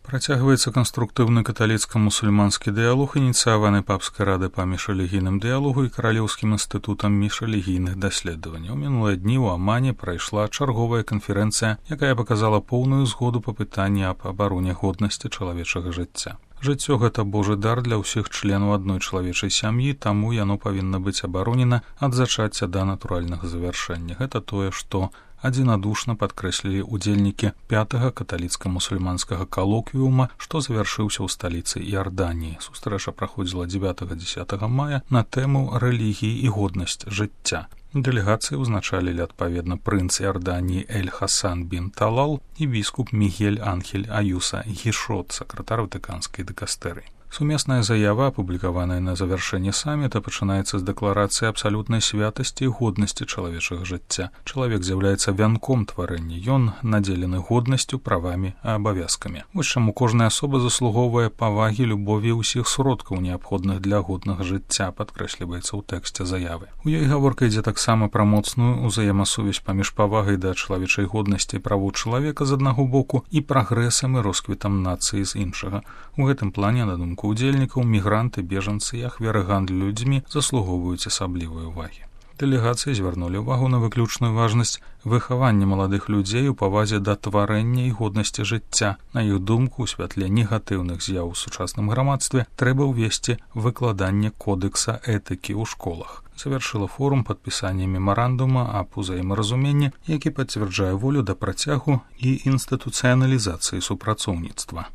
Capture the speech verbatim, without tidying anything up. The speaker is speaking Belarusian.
Працягваецца канструктыўны каталіцка-мусульманскі дыялог, ініцыяваны папскай радай па міжрэлігійным дыялогу і каралеўскім інстытутам міжрэлігійных даследаванняў. Мінулыя дні ў Амане прайшла чарговая канферэнцыя, якая паказала поўную згоду па пытанні аб абароне годнасці чалавечага жыцця. Жыццё – гэта божы дар для ўсіх членаў адной чалавечай сям'і, таму яно павінна быць абаронена ад зачацця да натуральнага завяршэння. Гэта тое, што адзінадушна падкрэслілі удзельнікі пятага каталіцка-мусульманскага калоквіума, што завяршыўся ў сталіцы Іарданіі. Сустрэча праходзіла дзевятага-дзесятага мая на тэму рэлігіі і годнасць жыцця. Дэлегацыі ўзначалілі адпаведна прынц Іарданіі Эль-Хасан бін Талал і біскуп Мігель Анхель Аюса Гішот, сакратар ватыканскай дыкастэрыі. Сумесная заява, апублікаваная на завяршэнні саміта, пачынаецца з дэкларацыі абсалютнай святасці і годнасці чалавечага жыцця. Чалавек з'яўляецца вянком тварэння, ён надзелены годнасцю, правамі і абавязкамі. Вось чаму кожная асоба заслугоўвае павагі, любові і ўсіх сродкаў, неабходных для годнага жыцця, падкрэсліваецца ў тэксце заявы. У ёй гаворка ідзе таксама пра моцную ўзаемасувязь паміж павагай да чалавечай годнасці і правоў чалавека з аднаго боку і прагрэсам і росквітам нацыі з іншага. У гэтым плане, на думку удзельнікаў, мігранты, бежанцы і ахвяры гандлю людзьмі заслугоўваюць асаблівай увагі. Дэлегацыі звярнулі ўвагу на выключную важнасць выхавання маладых людзей у павазе да тварэння і годнасці жыцця. На іх думку, у святле негатыўных з'яў у сучасным грамадстве трэба ўвесці выкладанне кодэкса этыкі ў школах. Завяршыла форум падпісанне мемарандума аб узаемаразуменні, які пацвярджае волю да працягу і інстытуцыяналізацыі супрацоўніцтва.